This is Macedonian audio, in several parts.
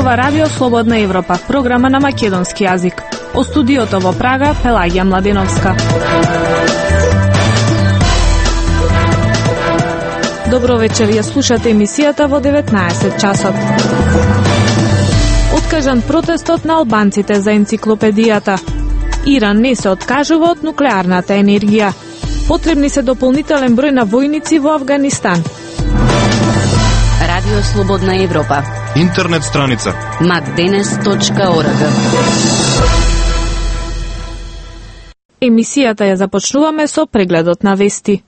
зборува Радио Слободна Европа, програма на македонски јазик. О студиото во Прага, Пелагија Младеновска. Добро вечер, ја слушате емисијата во 19 часот. Откажан протестот на албанците за енциклопедијата. Иран не се откажува од нуклеарната енергија. Потребни се дополнителен број на војници во Авганистан. Радио Слободна Европа. Интернет страница macdenes.org. Емисијата ја започнуваме со прегледот на вести.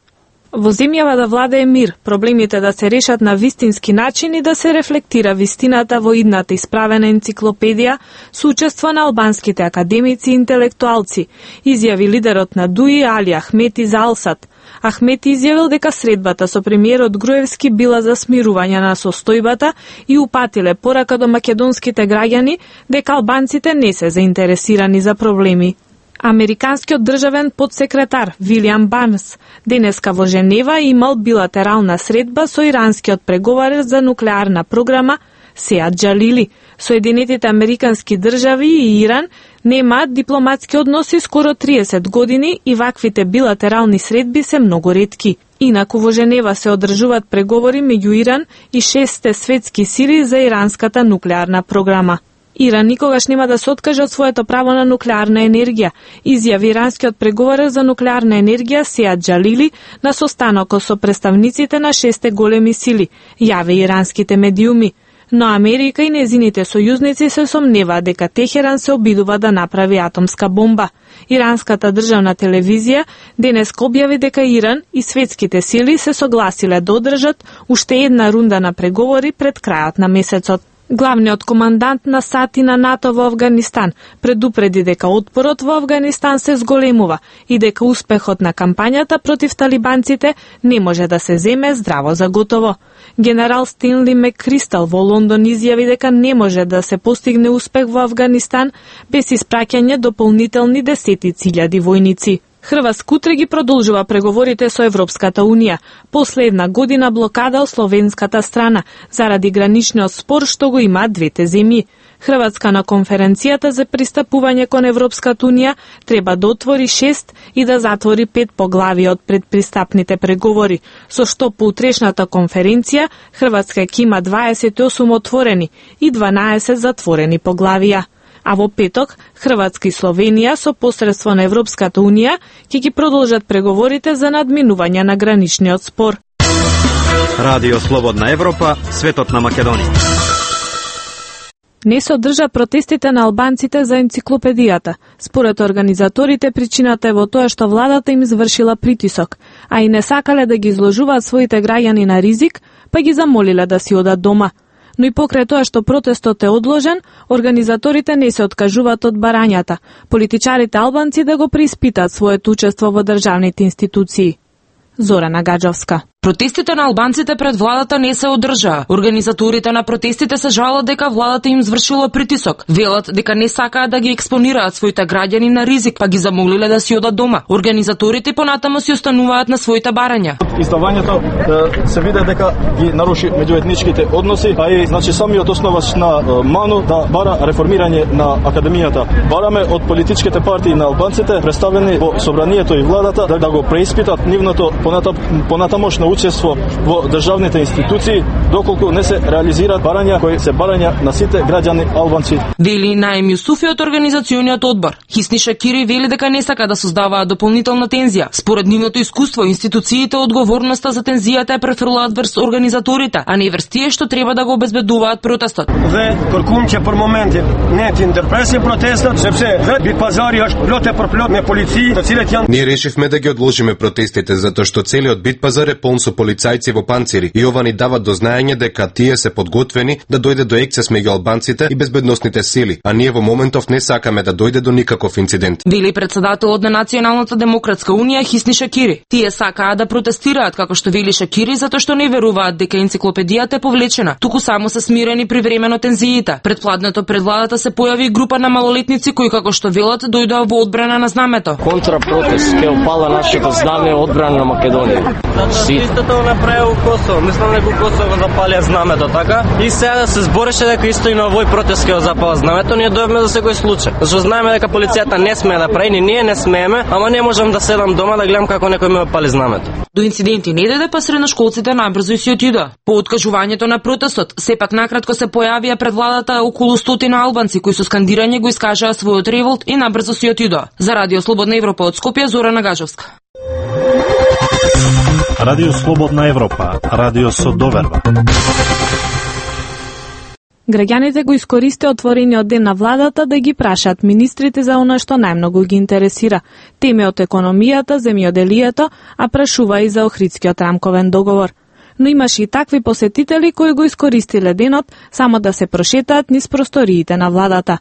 Во земјава да владее мир, проблемите да се решат на вистински начин и да се рефлектира вистината во идната исправена енциклопедија со учество на албанските академици и интелектуалци, изјави лидерот на ДУИ Али Ахмети за Алсат. Ахмети изјавил дека средбата со премиерот Груевски била за смирување на состојбата и упатиле порака до македонските граѓани дека албанците не се заинтересирани за проблеми. Американскиот државен подсекретар Вилијам Барнс денеска во Женева имал билатерална средба со иранскиот преговарач за нуклеарна програма Сеад Џалили. Соединетите американски држави и Иран немаат дипломатски односи скоро 30 години и ваквите билатерални средби се многу ретки. Инаку во Женева се одржуваат преговори меѓу Иран и 6 светски сили за иранската нуклеарна програма. Иран никогаш нема да се откаже од своето право на нуклеарна енергија, изјави иранскиот преговарач за нуклеарна енергија Сеад Џалили на состанокот со представниците на 6 големи сили, јави иранските медиуми. Но Америка и незините сојузници се сомневаат дека Техеран се обидува да направи атомска бомба. Иранската државна телевизија денес објави дека Иран и светските сили се согласиле да одржат уште една рунда на преговори пред крајот на месецот. Главниот командант на САД и на НАТО во Авганистан предупреди дека отпорот во Авганистан се зголемува и дека успехот на кампањата против талибанците не може да се земе здраво за готово. Генерал Стенли Меккристал во Лондон изјави дека не може да се постигне успех во Авганистан без испраќање дополнителни десетици илјади војници. Хрватска утре ги продолжува преговорите со Европската Унија, после една година блокада од словенската страна, заради граничниот спор што го имаат двете земји. Хрватска на конференцијата за пристапување кон Европската Унија треба да отвори 6 и да затвори 5 поглавија од предпристапните преговори, со што по утрешната конференција Хрватска ќе има 28 отворени и 12 затворени поглавија. А во петок, Хрватска и Словенија со посредство на Европската Унија ќе ги продолжат преговорите за надминување на граничниот спор. Радио Слободна Европа, светот на Македонија. Не се одржа протестите на албанците за енциклопедијата. Според организаторите, причината е во тоа што владата им извршила притисок, а и не сакале да ги изложуваат своите граѓани на ризик, па ги замолиле да си одат дома. Но и покрај тоа што протестот е одложен, организаторите не се откажуваат од барањата, политичарите албанци да го преиспитаат своето учество во државните институции. Зорана Гаджовска. Протестите на албанците пред владата не се одржаа. Организаторите на протестите се жалат дека владата им извршила притисок. Велат дека не сакаат да ги експонираат своите граѓани на ризик, па ги замолиле да си одат дома. Организаторите понатаму си остануваат на своите барања. Издавањето се виде дека ги наруши меѓуетничките односи, а и значи самиот основач на МАНУ да бара реформирање на академијата. Бараме од политичките партии на албанците представени во собранието и владата да го преиспитат нивното понатамошно учество во државните институции, доколку не се реализираат барања кои се барања на сите граѓани албанци. Вели Наим Јусуфи од организациониот одбор. Хисни Шакири вели дека не сака да создаваат дополнителна тензија. Според нивното искуство, институциите одговорноста за тензијата ја префрлаат врз организаторите, а не врз тие што треба да го обезбедуваат протестот. Dhe kërkum që për momentin ne të ndërpresim protestat, sepse vetë Bitpazari është plot e përplot me polici, të cilët janë. Ние решивме да ги одложиме протестите затоа што целиот Битпазар е полн со полицајци во панцири и ова ни дава до знаење дека тие се подготвени да дојде до ексцес меѓу албанците и безбедносните сили, а ние во моментов не сакаме да дојде до никаков инцидент. Вели претседателот на Националната демократска унија Хисни Шакири. Тие сакаат да протестираат, како што вели Шакири, затоа што не веруваат дека енциклопедијата е повлечена, туку само се смирени привремено тензиите. Предпладнето пред владата се појави група на малолетници кои, како што велат, дојдоа во одбрана на знамето. Контрапротест ке опала нашето знаме одбрана на Македонија. Сите истото направил Косово. Мислам дека Косово го запалија знамето, така? И сега да се збореше дека исто и на овој протест ќе го запала знамето, ние дојдовме за секој случај. Зашто знаеме дека полицијата не смее да прави, ни ние не смееме, ама не можам да седам дома да гледам како некој ме пали знамето. До инциденти не дојде, па средношколците најбрзо и си отидоа. По откажувањето на протестот, сепак накратко се појавија пред владата околу 100 албанци кои со скандирање го искажаа својот револт и набрзо си отидоа. За Радио Слободна Европа од Скопје, Зорана Гажовска. Радио Слободна Европа, радио со доверба. Граѓаните го искористи отворениот ден на владата да ги прашаат министрите за она што најмногу ги интересира. Теми од економијата, земјоделието, а прашува и за Охридскиот рамковен договор. Но имаше и такви посетители кои го искористиле денот само да се прошетаат низ просториите на владата.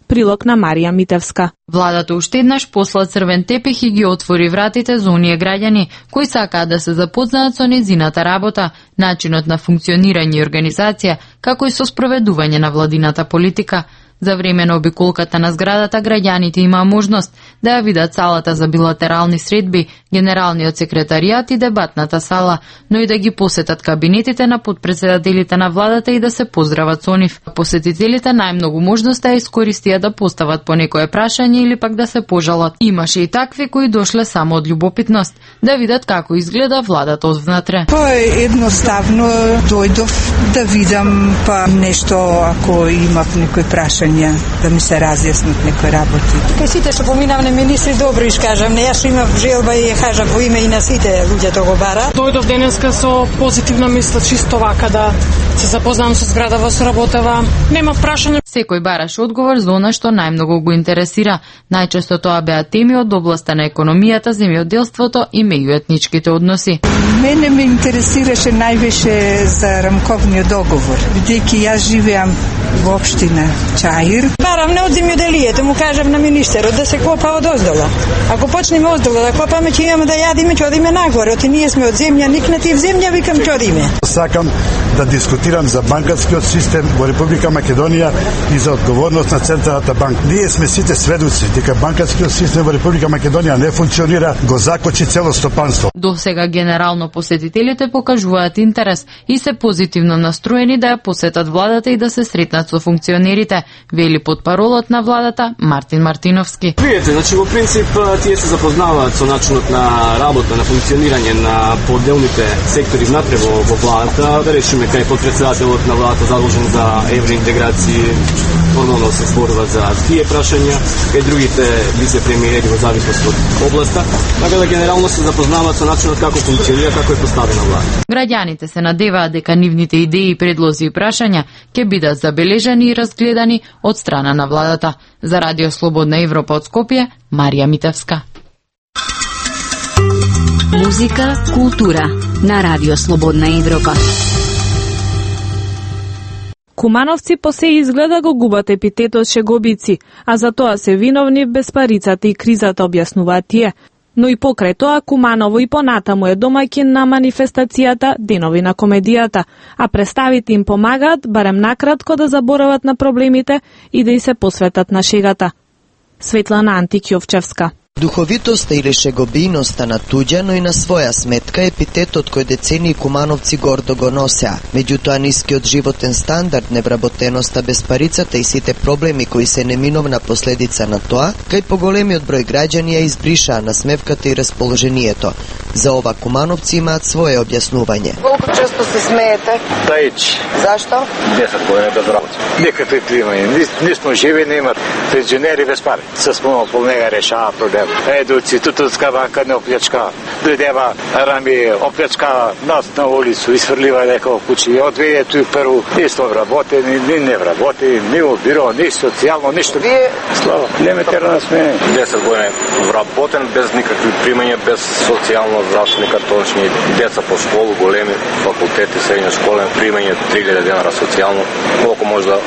Прилог на Марија Митевска. Владата уште еднаш посла црвен тепих и ги отвори вратите за оние граѓани кои сакаат да се запознаат со нејзината работа, начинот на функционирање и организација, како и со спроведување на владината политика. За време на обиколката на зградата, граѓаните имаа можност да ја видат салата за билатерални средби, генералниот секретаријат и дебатната сала, но и да ги посетат кабинетите на подпредседателите на владата и да се поздрават со нив. Посетителите најмногу можност да искористија да постават по некое прашање или пак да се пожалат. Имаше и такви кои дошле само од љубопитност, да видат како изгледа владата одвнатре. Едноставно дојдов да видам па нешто ако имав некој прашање, да ми се разјаснат некои работи. Кај сите што поминавме министри добро искажам, не јас имав желба и ја кажав во име и на сите луѓе тоа го бара. Дојдов денеска со позитивна мисла, чисто вака да се запознам со зградава, со работава. Нема прашање. Секој бараше одговор за она што најмногу го интересира. Најчесто тоа беа теми од областа на економијата, земјоделството и меѓуетничките односи. Мене ме интересираше највише за рамковниот договор, бидејќи јас живеам во општина Чаир. Барам не од земјоделието, му кажам на министерот да се копа од оздола. Ако почнеме оздола да копаме, ќе имаме да јадиме, ќе одиме нагоре. Оти ние сме од земја, никнати в земја, викам ќе одиме. Сакам да дискутирам за банкарскиот систем во Република Македонија и за одговорност на Централната банка. Ние сме сите сведоци дека банкарскиот систем во Република Македонија не функционира, го закочи цело стопанство. До сега генерално посетителите покажуваат интерес и се позитивно настроени да ја посетат владата и да се сретнат со функционерите, вели потпаролот на владата Мартин Мартиновски. Видете, значи во принцип тие се запознаваат со начинот на работа, на функционирање на поделните сектори внатре во владата. Да речеме кај подпредседателот на владата задолжен за евроинтеграција, нормално се зборува за тие прашања, кај другите вице-премиери во зависност од областа, така да генерално се запознаваат со начинот како функционира, како е поставена влада. Граѓаните се надеваат дека нивните идеи, предлози и прашања ќе бидат забележани и разгледани од страна на владата. За Радио Слободна Европа од Скопје, Марија Митевска. Музика, култура на Радио Слободна Европа. Кумановци по се изгледа го губат епитетот шегобици, а за тоа се виновни безпарицата и кризата, објаснуваат тие. Но и покрај тоа, Куманово и понатаму е домаќин на манифестацијата Денови на комедијата, а представите им помагаат, барем накратко, да заборават на проблемите и да и се посветат на шегата. Светлана Антикјовчевска. Духовитоста или шегобијноста на туѓа, но и на своја сметка епитетот кој децении кумановци гордо го носеа. Меѓутоа нискиот животен стандард, невработеноста, безпарицата и сите проблеми кои се неминовна последица на тоа, кај поголемиот број граѓани ја избришаа насмевката и расположението. За ова кумановци имаат свое објаснување. Колку често се смеете? Тајч. Зашто? 10 години без работа. Никакви примања, нисмо живи, нема пензионери без пари. Се спомнал по нега решава проблем. Едуци, Тутунска банка не оплечка. Дојдева Рами, оплечка нас на улицу, изфрлива некој куќи. Одведе туј прву, нисто вработени, ни не вработени, ни во биро, ни социјално, ништо. Вие? Слава, нема терена сме. 10 години вработен, без никакви примања, без социјално здравствени картончни, деца по школу, големи факултети, средња школа, примање 3000 денара социјално. Колку може да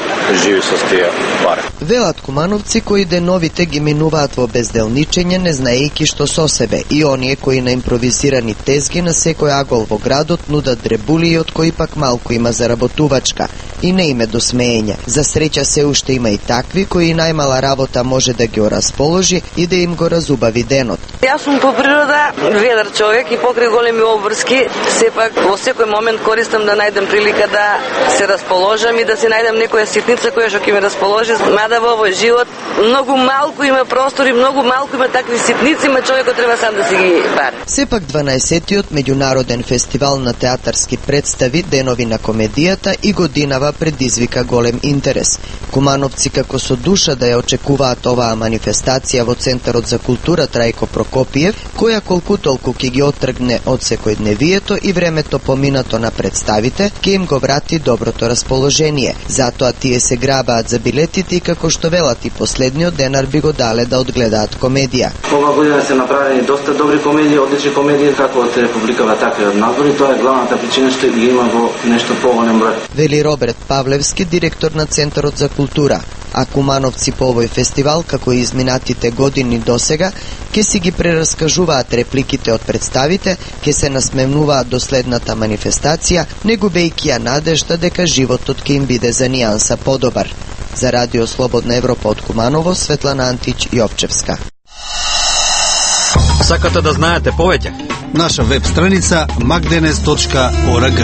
живи со тие пари? Велат кумановци кои деновите ги минуваат во безделничење, не знаејќи што со себе, и оние кои на им импровизирани тезги на секој агол во градот нудат дребули од кои пак малку има заработувачка и не име до смеење. За среќа се уште има и такви кои најмала работа може да ги расположи и да им го разубави денот. Јас сум по природа ведар човек и покрај големи обврски, сепак во секој момент користам да најдем прилика да се расположам и да се најдем некоја ситница која што ќе ме расположи, мада во овој живот многу малку има простор и многу малку има такви ситници, ма човекот треба сам да си ги бари. Сепак 12-тиот меѓународен фестивал на театарски представи Денови на комедијата и годинава предизвика голем интерес. Кумановци како со душа да ја очекуваат оваа манифестација во Центарот за култура Трајко Прокопиев, која колку толку ќе ги оттргне од секојдневието и времето поминато на представите, ќе им го врати доброто расположение. Затоа тие се грабаат за билетите и како што велат и последниот денар би го дале да одгледаат комедија. Ова година се направени доста добри комедии, одлични комедии како од Републикава, така и од надвор, тоа е главната причина што ги има во нешто поголем број. Вели Роберт Павлевски, директор на Центарот за култура. А кумановци по овој фестивал, како и изминатите години досега, ќе си ги прераскажуваат репликите од представите, ќе се насмевнуваат до следната манифестација, не губејќи ја надежда дека животот ќе им биде за нијанса подобар. За Радио Слободна Европа од Куманово, Светлана Антич Јовчевска. Сакате да знаете повеќе? Наша веб страница magdenes.org.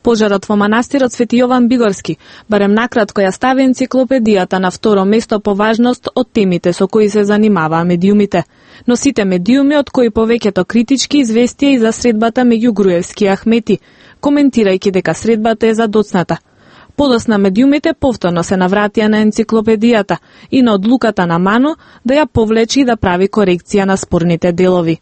Пожарот во манастирот Свети Јован Бигорски, барем накратко ја стави енциклопедијата на второ место по важност од темите со кои се занимаваа медиумите. Но сите медиуми од кои повеќето критички известија и за средбата меѓу Груевски и Ахмети, коментирајќи дека средбата е задоцната. Подосна медиумите повторно се навратија на енциклопедијата и на одлуката на Ману да ја повлечи и да прави корекција на спорните делови.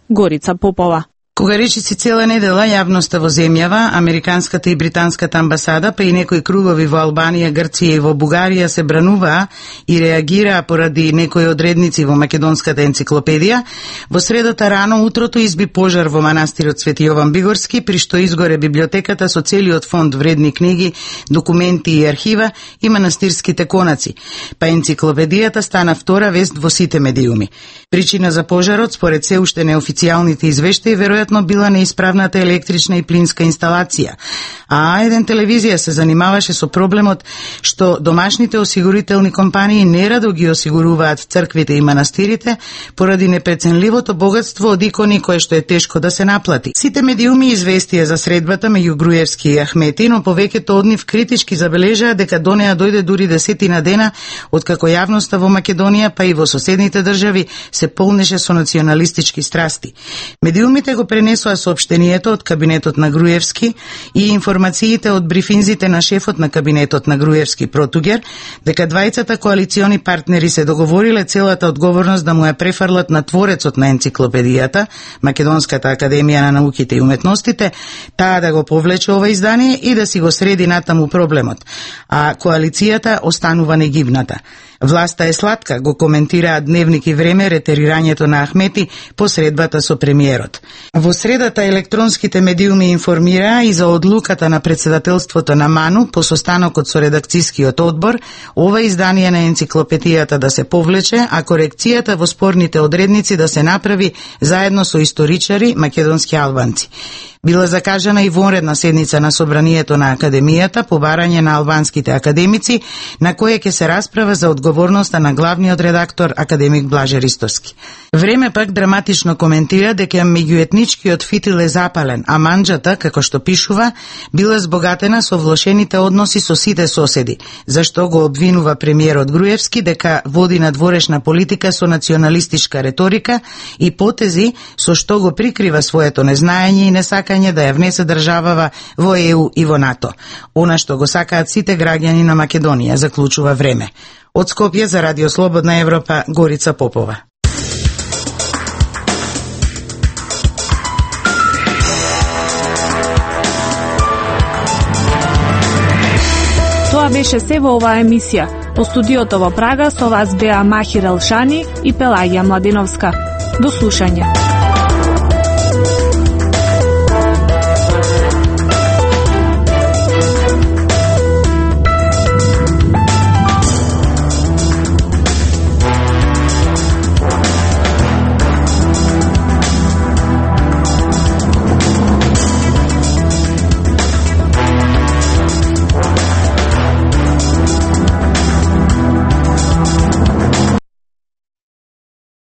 Горица Попова. Кога речиси цела недела јавноста во земјава, американската и британската амбасада, па и некои кругови во Албанија, Грција и во Бугарија се брануваа и реагираа поради некои одредници во македонската енциклопедија, во средата рано утрото изби пожар во манастирот Свети Јован Бигорски, при што изгоре библиотеката со целиот фонд вредни книги, документи и архива и манастирските конаци, па енциклопедијата стана втора вест во сите медиуми. Причина за пожарот, според се уште неофицијалните извештаи, веројатно била неисправната електрична и плинска инсталација. А еден телевизија се занимаваше со проблемот што домашните осигурителни компании нерадо ги осигуруваат црквите и манастирите поради непреценливото богатство од икони кое што е тешко да се наплати. Сите медиуми известија за средбата меѓу Груевски и Ахмети, но повеќето од нив критички забележаа дека до неа дојде дури 10 дена откако јавноста во Македонија па и во соседните држави се полнеше со националистички страсти. Медиумите го пренесоа соопштението од кабинетот на Груевски и информациите од брифинзите на шефот на кабинетот на Груевски Протугер дека двајцата коалициони партнери се договориле целата одговорност да му ја префрлат на творецот на енциклопедијата, Македонската академија на науките и уметностите, таа да го повлече ова издание и да си го среди натаму проблемот, а коалицијата останува негибната. Власта е сладка, го коментираат Дневник и Време ретерирањето на Ахмети по средбата со премиерот. Во средата електронските медиуми информираа и за одлуката на председателството на Ману по состанокот со редакцискиот одбор, ова издание на енциклопедијата да се повлече, а корекцијата во спорните одредници да се направи заедно со историчари македонски албанци. Била закажана и вонредна седница на собранието на Академијата по барање на албанските академици, на која ќе се расправа за одговорноста на главниот редактор академик Блаже Ристовски. Време пак драматично коментира дека меѓуетничкиот фитил е запален, а манџата, како што пишува, била збогатена со влошените односи со сите соседи, зашто го обвинува премиерот Груевски дека води надворешна политика со националистичка реторика и потези со што го прикрива своето незнаење и несакање да ја внесе државава во ЕУ и во НАТО. Она што го сакаат сите граѓани на Македонија, заклучува Време. Од Скопје за Радио Слободна Европа, Горица Попова. Тоа беше се во оваа емисија. По студиото во Прага со вас беа Махир Елшани и Пелагија Младиновска. До слушање.